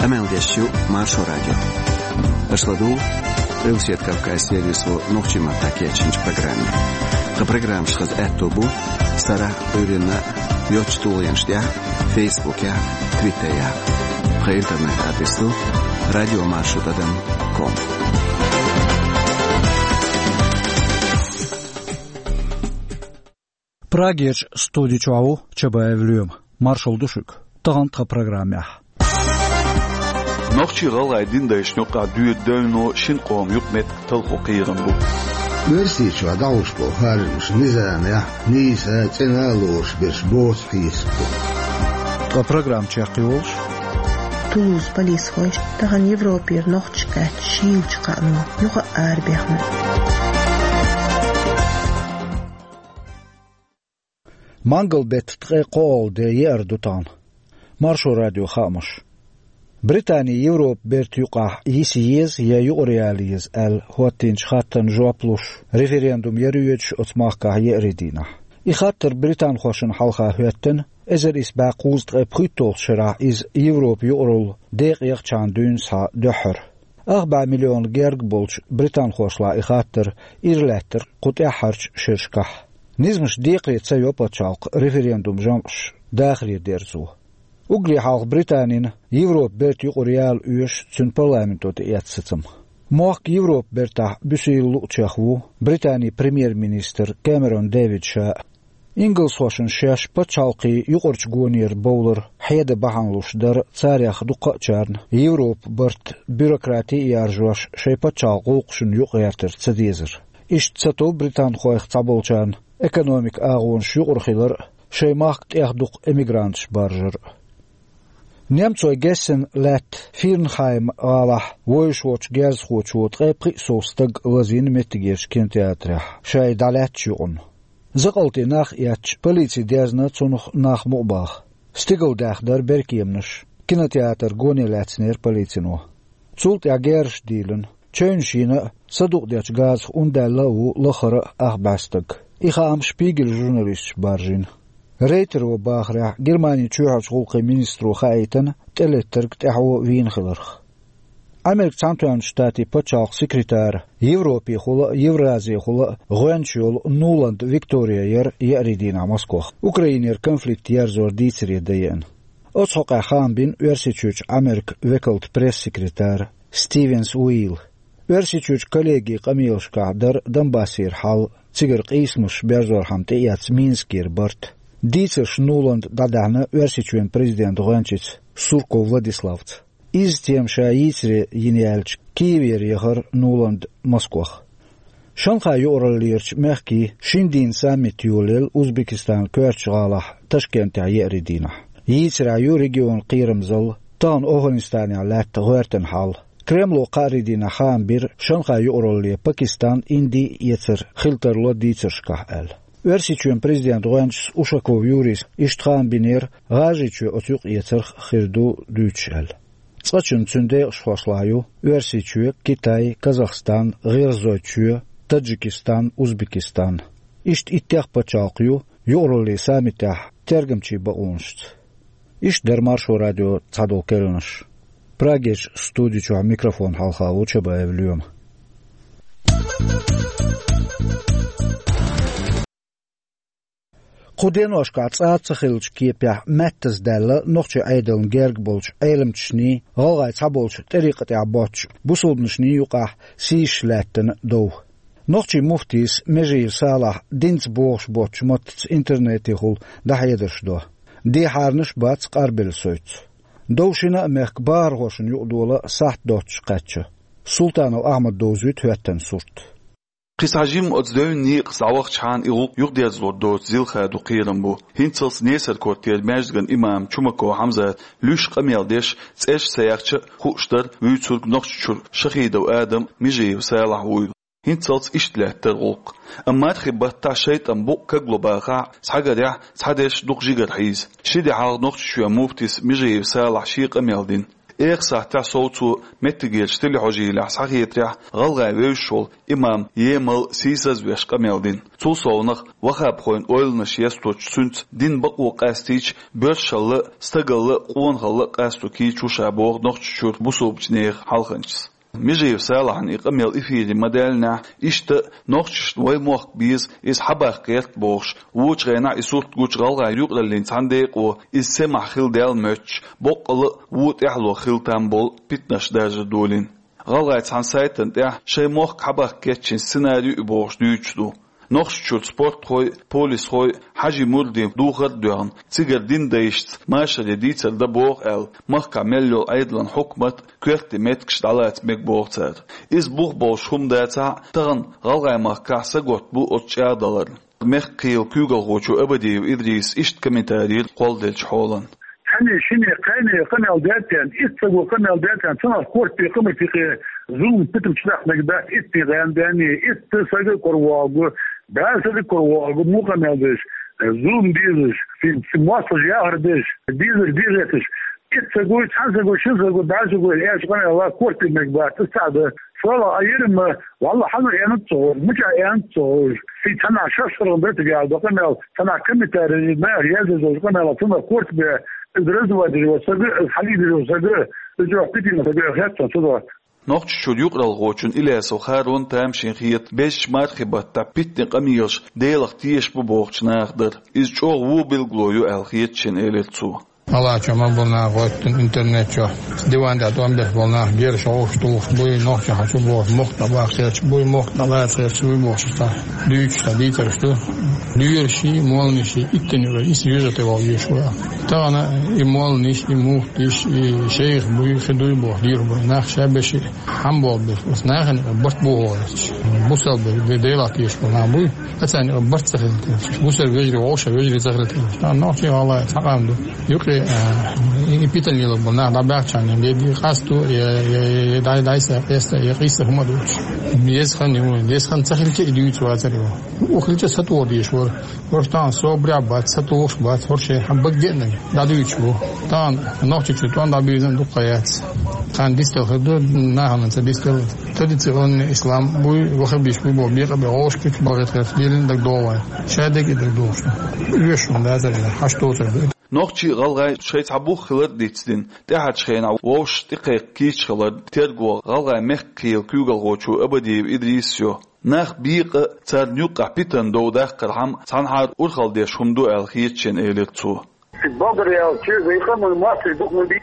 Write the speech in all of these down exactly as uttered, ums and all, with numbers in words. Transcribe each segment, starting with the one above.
Къамел деш ю Маршо радио. Аша ладугӀу Къилбаседа Кавказан сервисо нохчийн маттахь кечйинчу программе. Тхан программаш хаза аьтто бу сарахь, Ӏуьйранна йоцачу тулгӀенаш тӀехь, Фейсбукехь, Твиттерехь. Тхан интернет-адрес ду радио маршо тӀадам ком. Прагерчу студи чохь ву Чабаев Лоьма. Маршалла ду шуьга. Тахана тхан программехь: нохчийн-гӀалгӀайн дин дайшна юкъахь доьду девно шина къоман юкъаметтиг талхо кхерам бу. Оьрсийчохь дӀахьуш болу харжамаш низамехь, нийса, цӀена а лоруш берш боцу хьесап бу. Ткъа программа чекхйолуш: Тулузан полисхой тахана Европера нохчаш кхаьчча шийлачу кхаано юха а арабехна. Мангал-беттан ткъе кхоалгӀа де, еара ду тахана. Маршо радион хаамаш. Британи Европан бертан юкъахь йиса еза я юкъара яла еза аьлла хӀоттийначу хаттарна жоп луш, референдум яра йоьдуш оцу махкахь еарин дийнахь. И хаттар британхошна хьалха хӀоьттина, эзар исс бӀе кхузткъе пхийтталгӀачу шарахь иза Европан юкъаралла декъа яхчахьана дуьйна схьа дуьххьара. Ах бӀе миллион герга болчу британхошлахь и хаттар ира лаьттара кху тӀаьххьарчу шерашкахь. Низамаш декхаре ца йо пачхьалкх референдум жамӀаш дахаре дерзо. Уггаре хьалха Британина Европан бертан юкъара яла оьшу цуьнан парламенто тӀеэцна сацам. Мохк Европан бертахь буьсийла луучех ву Британин премьер-министр Кэмерон Дэвид ша а. Ингалсхошна шаьш пачхьалкхийн юкъарчу гонера бовлар хьедан бахьана луш дара царех дукхачарна Европан барт, бюрократи а яржош, шайн пачхьалкхан гӀуллакхашна юкъагӀертар ца дезар. Иштта сатуьйсу британхойх цхьаболчарна экономикан агӀонаш юкъара хилар а, шайн махка тӀех дукха эмигранташ баржар а. Немцойн Гессен лаьттан Фирнхайм гӀалахь вевзаш волчу герзахочо ткъе пхи сов стаг лазийна меттигерчу кинотеатрехь, шаьш дӀалаьцначу юкъана. Закъалтан нах а эцча, полици дезна цунах нах мукъабаха. Стигалдаьхна дара беркеманаш, кинотеатр гоне лаьцнера полицино. Цул тӀаьхьа герзаш дийлина. Чевнаш йина а, садукъадечу газах ун даьлла а ву лахара а ах бӀе стаг. И хаам Шпигель журналисташа баржийна. Рейтеро бахарехь, Германин чоьхьарчу гӀуллакхийн министро хаийтина тӀелеттарг тӀаьхьо вийна хиларх. Америкин Цхьаьнатоьхначу Штатийн пачхьалкхан секретара, Европехула а, Евразехула а гӀоьнча йолу Нуланд Виктория яра еарин дийнахь Москвахь, Украинера конфликт ерзор дийцаре дан еана. Оцу хьокъехь хаам бина Оьрсийчоьнан Америкин векалан пресс-секретара Стивенс Уилла. Оьрсийчоьнан коллегин къамелашкахь дара Донбассера хьал, цигара къийсамаш берзорхьама тӀеэцна Минскера барт. Дийцарш Нуланда дӀадаьхьна Оьрсийчоьнан президентан гӀоьнчица Сурков Владиславца. Изза тема ша йийцаре йина яьлча, Киевера яхара Нуланда Москвахь. Шанхайн юкъараллерчу мехкийн шина дийнан саммит йолаелла Узбекистанан коьртачу гӀалахь Ташкентехь еарин дийнахь. Йийцарехь ю регионан кхерамзалла, тахана Афганистанехь лаьтта гӀоьртина хьал. Кремло кхаарин дийнахь хаам бира Шанхайн юкъаралле Пакистан, Инди эцар хила тарло дийцаршкахь аьлла. Оьрсийчоьнан президентан гӀоьнчас Ушаков Юрийс иштта хаам бинера, ГӀажарийчоь оцу юкъаэцарх хир ду дуьйцуш аьлла. Цкъачунна цуьнан декъашхошлахь ю Оьрсийчоь, Китай, Казахстан, ГӀиргӀазойчоь, Таджикистан, Узбекистан. Иштта иттех пачхьалкх ю юкъараллин саммитехь тергамчийн бакъонашца. Иштта дара Маршо радион цхьадолу керланаш. Прагерчу студи чохь микрофон хьалха ву Чабаев Лоьма. Кху деношкахь цӀа ца хиллачу кепехь маьттаза даьлла нохчийн Ӏедална герга болчу Ӏеламчашний, гӀалгӀайн цхьаболчу тӀарикъатехь боцчу бусалбанашний юкъахь сийсаш лаьттина дов. Нохчийн муфтийс Межиев Салахь динца богӀуш боцчу маттаца интернетехула дӀахьедарш до. Дехьарнаш а бац къарбелла соьца. Дов шина а мехкан бахархошна юкъадола сахьт доццуш кхаьчна. Султанов Ахьмада довзуьйту хӀоьттина сурт. Кхин схьа жимма оцу девнан некъаца дӀавахчахьана и гӀуллакх юхадерзалур доцу зилха ду кхерам бу. ХӀинццалц Несар-Кортера маьждиган имам Чумаков Хьамзата луьйш къамел деш, цӀерш ца яхча а, хууш дара, вуьйцург Нохчийчуьра Шахидов Адам, Межиев Салахь вуйла. ХӀинццалц иштта лаьттара гӀуллакх. Амма мархин баттахь шайтӀан букъ кагло бахахь а, схьагарехь, цхьадерш дукха жигара хьийза. Ши де хьалха Нохчийчоьнан муфтис Межиев Салахь шен къамел дина. Экха сахьтехь совцо меттигерчу телехьожийлехь схьахетарехь, гӀалгӀай вевзаш волу имам емал сийсазвеш къамел дина. Цул совнах, ваххабхойн ойланаш есточу, цуьнца динан бакъо къастийча, боьршалла а, стагалла а, къонахалла а къасто кийча ву ша, боху Нохчийчуьра бусулбачу нехан хьалханчас. Межиев Салахьна и къамел эфире ма-даьллинехь, иштта а нохчашна вайн мохк беза, иза хьабаккха гӀерта бохуш, вочу хенахь и сурт гучу гӀалгӀайн юкъараллин цхьана декъо, иза семахь хила даьлла моьттуш, боккъала а вон тӀаьхьало хила там болу питанаш даржар долийна. ГӀалгӀайн цхьана сайтана тӀехь шайн мохк хьабаккха кечйина сценарий ю и бохуш дуьйцуш ду. Нохчийчуьра спортхой а, полисхой а, хьаьжин мурдийн духар а доьгӀна, цигара динан дайшца машаре дийцар дан боху аьлла, махкахь мел йолу Ӏедалан хьукмат а, коьртан меттигаш дӀалаца мега боху цара. Иза бух болуш хӀума дацахь а, тахана гӀалгӀайн махкахь сагатта бу оцу чӀагӀдаларна. Мехкан кхелан куьйгалхочо Абадиев Идриса иштта комментарий йира кхолладеллачу хьолан. Цхьанне, шинне, кхаьнне къамел даьтта, итт саго къамел даьтта, цунах корта бен къамел тӀе зулам, питам чудаккха мега дац итт гӀан бен, итт сага а кура вогӀу, бӀе сага а кура вогӀу, муха къамел деш, зулам дезаш, ци-, ци-, мостагӀчу яхар деш, дезар дехеташ, итт саго, цхьана саго, шина саго, бӀе саго, аьлча къамел корта бен мега бац, аса цхьаъ дан. ШолгӀа а йира ма, валлахьи, хьан аьннад ца хууш, мичахь аьннад ца хууш. Ши цхьанахь шаш сургӀан дара цига аьлла ду къамел, цхьанахь комментарий, нах язъян йолчу къамелах цунах корта бен, иза раза вадийр ву сага, иза хьалийдийр ву сага, иза чӀогӀа питана сага хетта цунах. Нохчийчуьра юкъаралхочун Илясов Харон тамашийна хета безачу мархин баттахь питанийн къамелаш Делах тешаш бу бохучу нахах дар. Иза чӀогӀа вон билгало ю аьлла хета шена, элира цо. Ӏалашо ма бу нах гӀоьттина интернет чохь. Диван тӀехь тӀом беш болу нах герзаш, гӀовш тухуш буй, нохчий хьан чу бохуш, мохк дӀабаккха гӀерташ буй, мохк дӀалаца гӀерташ буй бохуш, цхьа дуьйцуш, цхьа дийцарш ду. Лоьраший, молланаший иттанна юкъара исс вежарий тӀе вогӀу везаш ву. Тахана и молланаш, и муфтиш, и шайх буй, хи дуй бохуш, дийр буй. Нах ша беши хьан болу беш, аса нахана барт бу гӀо гӀерташ. Бусалба бе-, Делах тешаш болу нах буй. Ацарна барт ца хилла тешаш. Бусалба вежарий, вовшах вежарий ца хилла тешаш. Тахана нохчий, гӀалгӀай цхьа къам ду. Юкъе, а, и, и питана лело болу нах дӀабаьхча, я, я, я къасто, я, я, я, я дай, дай са, къеста, я къийса хӀума дуьйцуш. Деза хан ю, деза хан ца хилча, и дуьйцуш вацара ю. Ухилча сатур деш вара. ХӀорш тахана собарехь бац, сатухуш бац, хӀорш шайн хьан бага геънарг дӀадуьйцуш бу. Тахана Нохчийчу тӀом дӀабирзина дукха яц. Тхан дистал хир ду, нахана ца дистал. Традиционный ислам буй, ваххабиш буй боху бекъа бе гӀовш куьг бахийтхарш лелина даг догӀу вайн. Шадерг и даг догӀуш. Оьшуш хӀума дацара, хьаш доцург ду. Нохчий а, гӀалгӀай а шайн цхьа бух хилар а дицдина, тӀаьхьарчу хенахь вовшашна тӀекхайкха кийча хилар тергало гӀалгӀайн мехкан кхелан куьйгалхочо Абадиев Идриса йо. Нах бекъа а, царна юккъехь питана дов даккхархьама цхьанхьара урхалла деш хӀума ду аьлла хета шена, элира цо. Ши богар ял чуьра вай къаман мостагӀий дукха ма бий.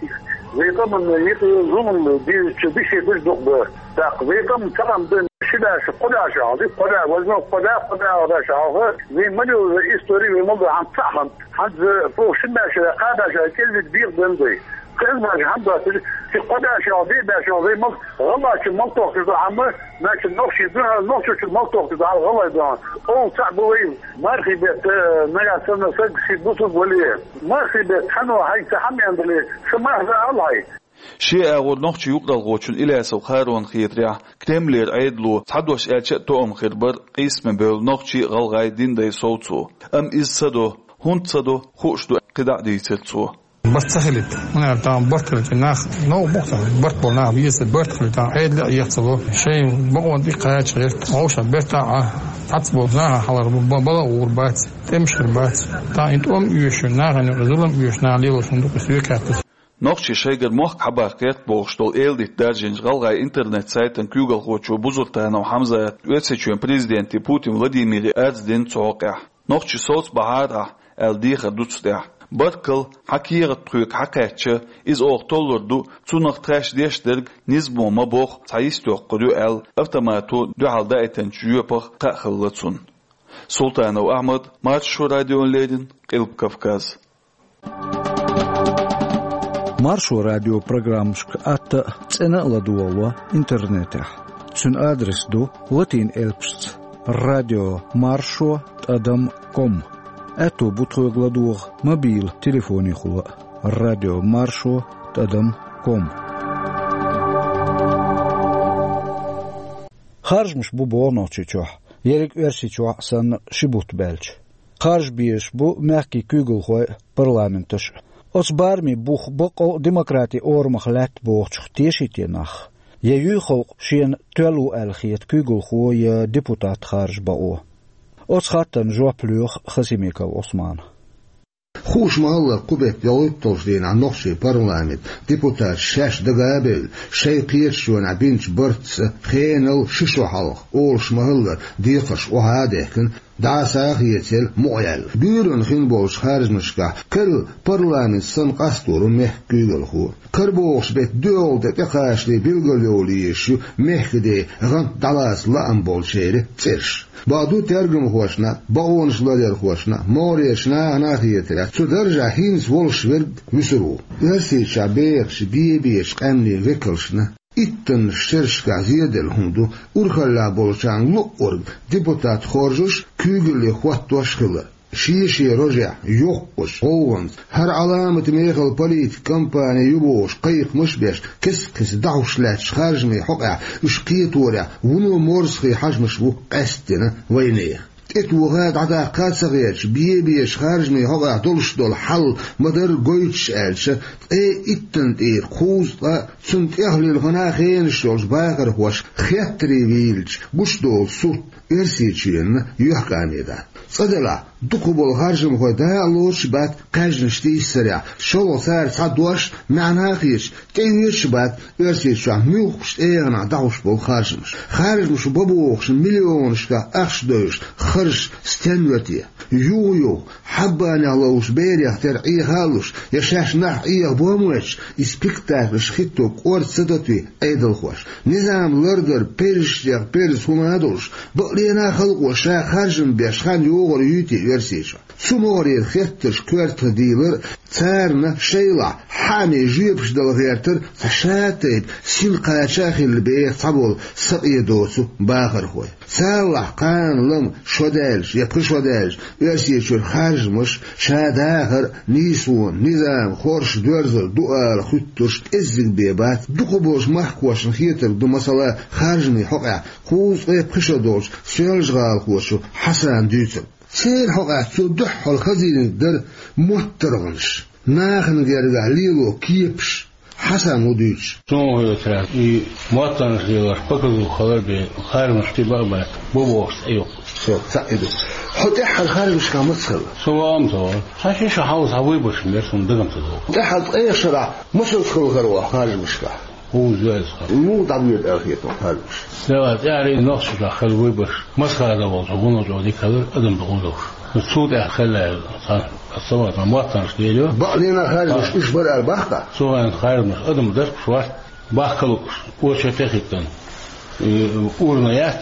Вай къаман юкъа зулам дийрачу деши дукха бу. ТӀаккха вай къам ца къам дан ши баьш, кхо баьш хьалха, кхо баьш, возьмём, кхо баьш, кхо баьш хьалха. Вай ма лела истори, вай ма лела хьан цхьаъ хьан. Хьанца фу ши баьш, кхо баьш, кӀелвита бекъа дан дай. Кхин баьш хьан доцуш, ши кхо баьш хьалха, бӀе баьш хьалха, вай ма лела гӀалгӀачу малтохкуш ду хьан ма, значит, нохчий ду, нохчочу малтохкуш ду хьан, гӀалгӀай ду хьан. Оха цхьаъ бу вай. Мархий бетта, нагахь санна саг ши бусулба вале, мархий бетта хьан ву хьайга ца хьамеандале, ша марха ала хьай. Шен агӀор нохчийн юкъаралхочун Илясов Харона хетарехь, Кремлера Ӏедало, цхьа дош аьлча а, тоам хир бара къийсаме бевлла нохчий а, гӀалгӀай а динан дай совцо. Амма иза ца до, хӀунда ца до, хууш ду, кхидӀа а дийцира цо. Барт ца хилийта. ХӀунда аьлча тахана барт хилча нах, новкъа боху цхьа, барт болу нах беза, барт хилийта, Ӏедале а еха ца ло. Шайн бакъонна тӀе кхача гӀерта, вовшах бертахь а, цхьацца болу наха хьалхара бу-, бала а гӀур бац, тӀемаш хир бац. Тахана и тӀом оьшу, нахана юкъа зулам оьшу, наха лелош хӀума ду-кх и соьга хаьттича. Нохчий шайгара мохк хьабаккха гӀерта бохуш долу эладитта даржийначу гӀалгӀайн интернет-сайтан куьйгалхочо Бузуртанов Хьамзата Оьрсийчоьнан президенте Путин Владимире арз дина цу хьокъехь. Нохчий совцабахьара ахь аьлла дехар ду цу тӀехь. Баркалла, хьан кехат тхоьга хьакхаьчча, иза оха толлур ду, цунах тхаьш деш дерг низамо ма боху, цхьа йист йоккхур ю аьлла, автомато дуьхьал даийтинчу жоьпах кхаъ хилла цунна. Султанов Ахьмад, Маршо радиона леррина, Къилба Кавказ. Маршо радион программашка атта а, цӀена а ладогӀало интернетехь. Цуьнан адрес ду латин элпашца: радио маршо тӀадам ком. Аьтто бу тхоьга ладогӀа мобил телефонехула а: радио маршо тӀадам ком. Харжамаш бу боху Нохчийчохь, ерриг Оьрсийчохь а санна, ши бутт баьлча. Харжа безаш бу мехкийн куьйгалхой а, парламенташ а. Оцу барамийн бух бакъ а демократин орамах лаьтта бохучух тешийта нах, я юй халкъ шена тоьлла ву аьлла хета куьйгалхо я депутат харжа бакъо. Оцу хаттарна жоп лоьху Хасимиков Ӏусмана. Хууш ма-хиллара, кху беттан йолуьйталгӀачу дийнахь нохчийн парламентан депутаташ шаьш дага а бевлла, шайн кхеташонехь бинчу бартаца хенал ши шо хьалха, олуш ма-хиллара, декхарш охьа а дехкина, дӀаса а хецаелла, мукъаяьлла. Буьйранна хин болчу харжамашкахь карла парламент санна къастор ву мехкан куьйгалхо. Карабохуш беттан доьалгӀа тӀе тӀекхачале билгалйовла езаш ю мехкан ден гӀант дӀалаца лаам болчеран цӀераш. Бакъду, тергамхошна, бакъонаш ларъярхошна, могӀарерчу нахана а хетарехь, цу даржехь хӀинца волуш верг вуьсур ву. Оьрсийчохь бехачу бен-бечу къаьмнийн векалшна, иттаннаш шерашкахь зеделла хӀума ду урхаллехь болчарна луъург депутат хоржуш, куьйгалле хӀоттош хилар. Шен-шен рожехь йоккхучу гӀовгӀанца, хӀара Ӏаламат мехала политикан кампани ю бохуш кхайкхамаш а беш, кест-кеста дӀахьош лаьттачу харжамийн хьокъехь уьш кхеторехь вуно морзахий хьажамаш бу къаьсттина вайнехан. ТӀетоха а, дӀадаккха а ца хеташ, бен-бечу харжамийн хьокъехь долуш долу хьал ма-дарра гойтуш аьлча, ткъе иттанна тӀера кхузткъа а, цунна тӀехула хӀинца а хенаш йолчу бахархоша хеттаре вийлча гучудолу сурт Оьрсийчоьнна юьхькӀаме дац. Цкъа делахь, дукхахболу харжамхой дакъа лоцуш а бац, кхаьжнаш тийсарехь, шолгӀа цара цхьа дош, маьӀна а хеташ, тӀеоьцуш а бац Оьрсийчохь муьлххачу тӀегӀанехь дӀахьош болу харжамаш. Харжамаш бан бохуш миллионашкахь ахча девзаш, харжаш стенна ве те? Юха-юха, хьаббанех ловзуш берех тера Ӏеха а луш, я шаьш нах Ӏеха бохам а оьцуш, и спектакльш хӀитто кӀорда ца дото те Ӏедалхоша? Низам лардар перзашцех перза хӀума а долуш, бакъдерг а халкъо ша харжам беш хан йогӀур юй те Оьрсийчохь? Цу могӀарера хеттарш коьртах дийлар а, царна шайлахь хьаамийн жоьпаш дала гӀертар а цхьа шатайпа син кхача а хилла беха цхьаболу сакъе доцу бахархой. Царалахь кхана-лама шо даьлча я пхи шо даьлча Оьрсийчуьра харжамаш, ша дахар а, нийсонан низам хорша доьрзур ду ала хуьттурш кӀеззиг бен бац, дукхахболчу махкахошна хетарг ду, масала, харжамийн хьокъехь кхузткъе пхи шо долчу соьлжа-гӀалахочо Хьасана дуьйцург. Церан хьокъехь цо дуьххьара хазийнарг дара моттаргӀанаш, нахана гергахь лело кепаш. Хьасан ву дуьйцуш. Суна хетарехь, и моттаргӀанаш лелош показуха хилар бен, харжамаш тиба а бац, бо бохуш цӀе ю. Со, цхьаъ и ду. Хьо тӀаьххьара харжамашкахь маца хилла? Со ваам ца вара. Цхьа ши шо хьалха цхьа вуй баш мер суна дагам ца догӀу. ТӀаьххьара ткъех шарахь масаза хилла хир ву хьо харжамашкахь? ХӀу зоьлса хир. Муха дӀабоьду аьлла хета хьуна харжамаш? Дела, тӀаьххьара и нохчашкахь хилла вуй баш, Москвара волчу гӀуллакхо дика хилар, адам дукха ву долуш. Цул тӀаьхьа хилла аьлла, цхьа, аса ма моттаргӀанаш лелайо. Бакъдерг а харжамаш уьш бара аьлла боху-кх? Цо аьлла, харжамаш адам даркуш вац, бахка лууш, очередь а хӀиттина. И урна яц,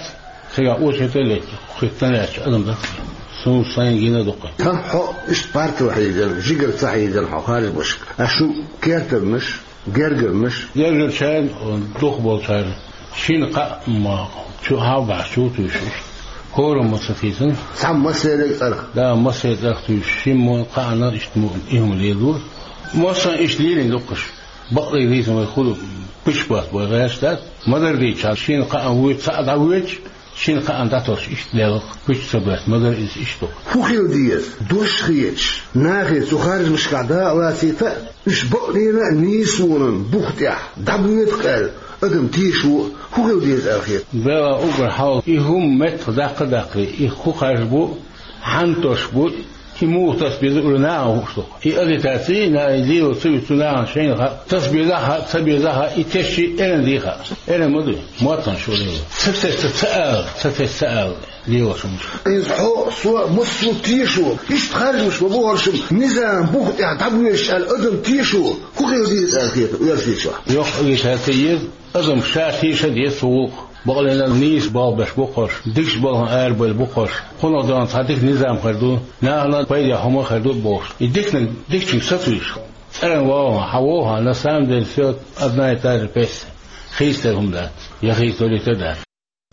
цигахь очередь а летта, хӀиттина лаьтташ адам даркуш. Суна сайна гина а ду-кх. Тхан хьо иштта парта хьийзина, жигара ца хьийзина хьо харжамашка. Аш шун кертарнаш, гергарнаш? Гергарчарна, дукхахболчарна шина-кхаа ма чу хьалбаьхьа чу а туьйсуш иштта. ХӀораммо ца тийсина. Цхьа массеран а цӀарах? Да, массеран а цӀарах туьйсуш, шимма а, кхаанна а иштта мо и хӀума лелор. Массарна иштта лелийна ду-кх уьш. Бакъдерг дийцина вай хуьлу пуьчбат бой гӀерташ дац. Ма-дарра дийцича, шина-кхаанна вуьйцу, цхьаъ дӀавоьдуш, шина-кхаанна дӀатосуш иштта лелла-кх, пуьча ца боьсса, ма-дарра иза иштта ду-кх. ХӀун хила деза, дош хеташ, нахе цу харжамашкахь дакъа лацийта а, уьш бакъдерг а нийсонан бух тӀехь дӀабоьду-кх аьлла, адам тешо а, хӀун хила деза аьлла хета? Дела, уггар хьалха и хӀума меттах даккха а даккхий, и хӀун харж бу, хьанна тосуш бу, и муха таса беза уьла нахана хууш ду-кх. И агитаци, на и лело ца вуьту нахана шайна хаьа, таса беза а хаьа, ца беза а хаьа, и тесча а эрна дийр хаьа. Эрна ма дуй, моттаргӀанаш шу лело. Ца тесча ца ала, ца тесча ца ала лелош хӀумнаш. Иза хьо, со, массо а тешо, иштта харжамаш бан бохурш-м низам бух тӀехь дӀабоьдуш аьлла адам тешо, хӀун хила деза аьлла хета Оьрсийчохь? Йоккха агитаци еза, адам ша теша а деза цу гӀуллакхах. Бакъдерг а нийса балха беш бу-кх уьш, дикачу балхана арабевлла бу-кх уьш. Кхунах дан цхьа дика низам хир ду, нахана пайдехь хӀума хир ду бохуш. И диканиг дикачуьнга сатуьйсуш. ЦӀеран валахь, хьан вовхьа, на самом деле всё одна и та же песня. Хийцаделла хӀума дац, я хийцадолийта а дац.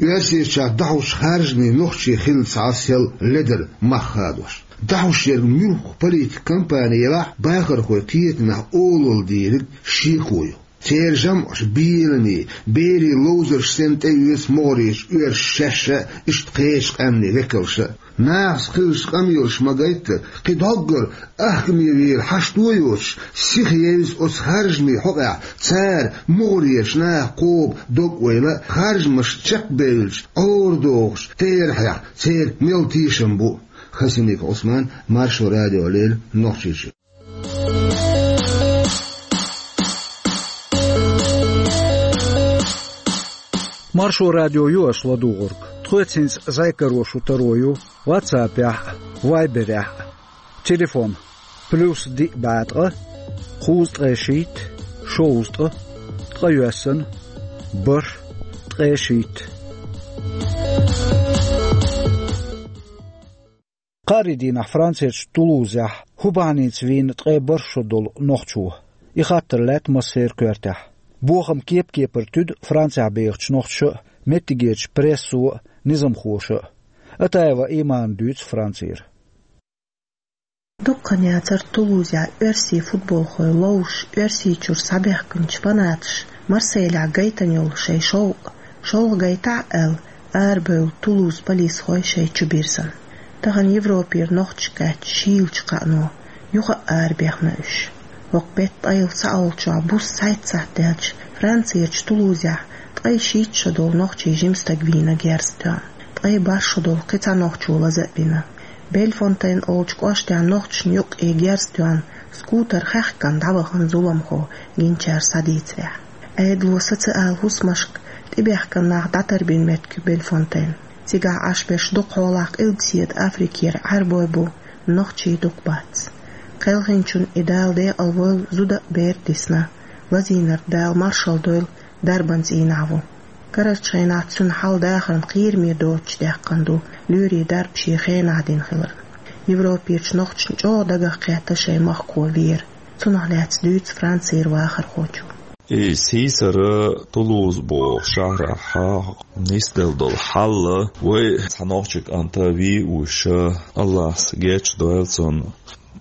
Оьрсийчохь дӀахьош харжамийн нохчий хилла цхьа сел ледара мах хадош. ДӀахьош ерг муьлхха политикан кампани елахь а, бахархой кхетамехь олалла дийриг шеко ю. Церан жамӀаш беламе, берийн ловзарш санна тӀеоьцу могӀарерчу оьрсаша шаьш а, иштта кхечу къаьмнийн векалша а. Нахаца хилча къамелаш ма гайта, кхин доггара ахкаме вийра хьашт а йоцуш, сиха евза оцу харжамийн хьокъехь, цара мугӀарерчу наха кхоба дог а ойла, харжамаш чекхбевлча, Ӏорадохучу терахьех церан мел тешам бу. Хасимиков Ӏусман, Маршо радио, леррина Нохчийчуьра. Маршо радио ю аша ладугӀург. Тхоьца хӀинца зӀе каро шу таро ю WhatsApp-ехь а, Viber-ехь а. Телефон: плюс диъ бӀе ткъа, кхузткъе шийтта, шовзткъа, ткъайоьсна, бархӀ, ткъе шийтта. Кхаарин дийнахь Францерчу Тулузехь хӀун бахьаница вийна ткъе бархӀ шо долу нохчо? И хаттар лаьтта массеран коьртехь. Бохам кеп-кепара туьду Францехь бехачу нохчаша а, меттигерчу прессо а, низамхоша а. Атаева Имана дуьйцу Францера. Дуккха хан яцара Тулузехь оьрсийн футболхой ловзуш, Оьрсийчуьра схьабаьхкинчу фанаташа Марселехь гайтина йолу шайн шовкъ, шолгӀа гайтахь а аьлла, арабевлла Тулузан полисхой шайн чу бирзина. Тахана Европера нохчаш кхаьчча шийлачу кхаано юха а арабехна уьш. ХӀокху беттан ткъе ялх сахьтехь буса цхьайтта сахьт даьлча, Францерчу Тулузехь ткъе шийтта шо долу нохчийн жима стаг вийна герз тоьхна. Ткъе бархӀ шо долу кхин цхьа нохчо лаза а бина. Бельфонтейн олучу кӀоштехь нохчашна юккъе герз тоьхна, скутер хаьхкина дӀавахана зуламхо, гиначара схьадийцарехь. Ӏедало социал хӀусамашка тӀебаьхкина нах дӀатарбина меттиг ю Бельфонтейн. Цигахь Ӏаш берш дукхахьолахь Къилбаседа Африкера Ӏаьрбой бу, нохчий дукха бац. Кхелхинчунна и Дала декъал войла зуда а, бер а дисна. Лазийнарг, Дала маршалла дойла, дарбан цӀийнахь ву. Карарчу хенахь цуьнан хьал дахарна кхераме доцуш даьккхина ду, лоьрийн дарба шен хенахь дина хиларна. Европерчу нохчашна чӀогӀа дагах кхетта шайн махкахо вер. Цунах лаьцна дуьйцу Францера вахархочо. И сийсара Тулуз боху шахьарахь нисделла долу хьал, вай цхьа нохчи кӀант вийна уьш, Аллахьа гечдойла цунна.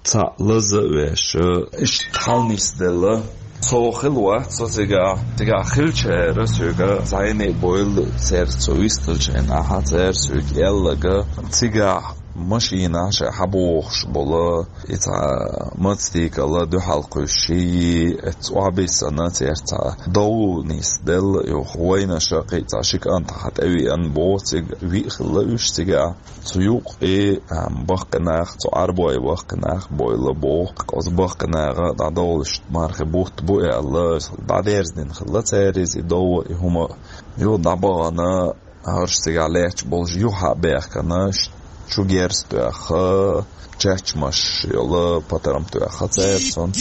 Цхьаъ лаза а веш, иштта хьал нисделла. Со хилла вац, со цигахь, цигахь хиллачара соьга зӀене а бевлла, церан со вистхиллачу хенахь, цара соьга аьлларг, цигахь машинахь шайн хьабохуш болу, и цхьа мотоцикл дуьхьал кхуьссуш, и эцца охьабиссина, церан цхьа дов нисделла, юха вайнаша кхин цхьа ши кӀант хьа тӀевеана боху, цига виъ хилла уьш цигахь. Цу юккъе, а, баккхий нах, цу Ӏаьрбойн баккхий нах бевлла боху. Оцу баккхий наха дӀадовлуш мархи бутт бу аьлла, дӀадерзадина хилла цара иза, и дов а, и хӀума а. Юха дӀабахана, хӀорш цигахь лаьтташ болуш юха а баьхкина, чу герз тоьхна, чачмаш йолу патрам тоьхна цара цунна.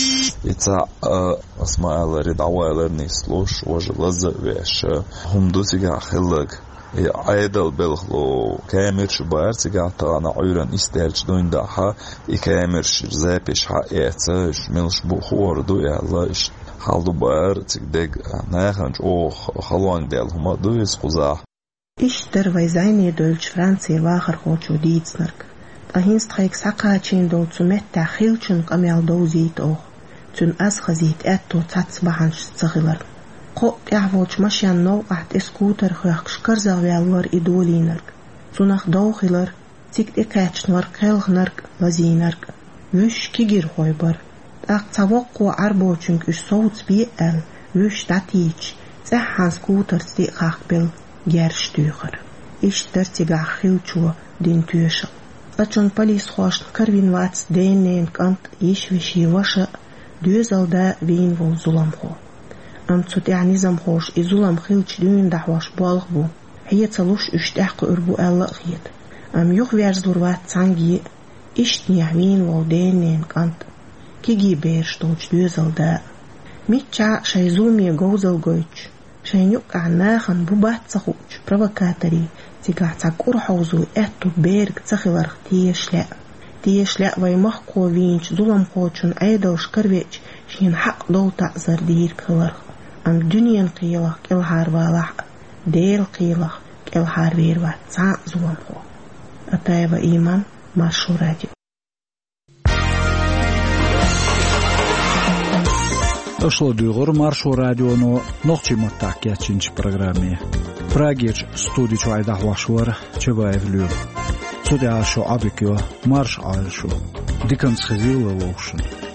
И цхьаъ, а, ас ма-аллара, дӀавоьллура нислуш, важа лаза а веш, хӀума ду цигахь хилларг. И Ӏедалан белхало камераш бара цигахь, тахана Ӏуьйранна исс даьлча дуьйна дахьа, и камераш запись хьаэца, уьш милаш бу хуур ду аьлла, иштта хьал ду бара цига дерг, нахана чӀогӀа халонга даьлла хӀума а ду иза кхузахь. Иштта дара вай зӀене девллачу Францин вахархочо дийцинарг. Ткъа хӀинца тхайга схьакхачийна долу цу меттехь хиллачун къамел довзийта оха, цуьнан аз хазийта аьтто цхьацца бахьанашца ца хиларна. Кхоъ тӀехь волчу машенан новкъахь тӀе скутер хоьхкуш карзахваьлла вара и долийнарг. Цунах дов хилар, цига тӀекхаьчна вара кхелхинарг а, лазийнарг а. Вуьш кегийрхой бара. ТӀаккха цхьа воккхо Ӏаьрбочуьнга уьш совцабе аьлла, вуьш дӀатийча, цӀеххьана скутерца диъ хахкабелла герзаш туьйхира. Иштта дара цигахь хиллачо дина тоьшалла. Цкъачунна полисхошна каравина вац ден-ненан кӀант а, йиша-вешин ваша а, доьзалан да а вийна волу зуламхо. Амма цу тӀехь низамхоша и зулам хиллачу дуьйна дӀахьош болх бу, хье ца луш уьш тӀаьхьакхуьур бу аьлла а хета. Амма юхаверзалур вац цхьаьнгге а, ишттанехь вийна волу ден-ненан кӀант а, кегий бераш долчу доьзалан да а. Миччахьа а шайн зуламе говзалла гойтуш, шайна юккъехь нахана бу-бац ца хуучу провокаторийн цигахь цхьа кӀур хьовзо аьтту берга ца хиларх тешаш лаьа. Тешаш лаьа вайн махкахо вийначу зуламхочун Ӏедалша каравеача шена хьакъ долу таӀзар дийриг хиларх. Амма дуьненан кхелах кӀелхьарвалахь а, Делан кхелах кӀелхьарвер вац цхьа а зуламхо. Атаева Иман, Маршо радио. Аша ладуьйгӀура Маршо радионо нохчийн маттахь кечйинчу программе. Прагерчу студи чуьра дӀахьош вара Чабаев Лоьма. Цу тӀехьа шо Ӏобигайо, марша Ӏойла шо. Диканца хезийла вовшашка.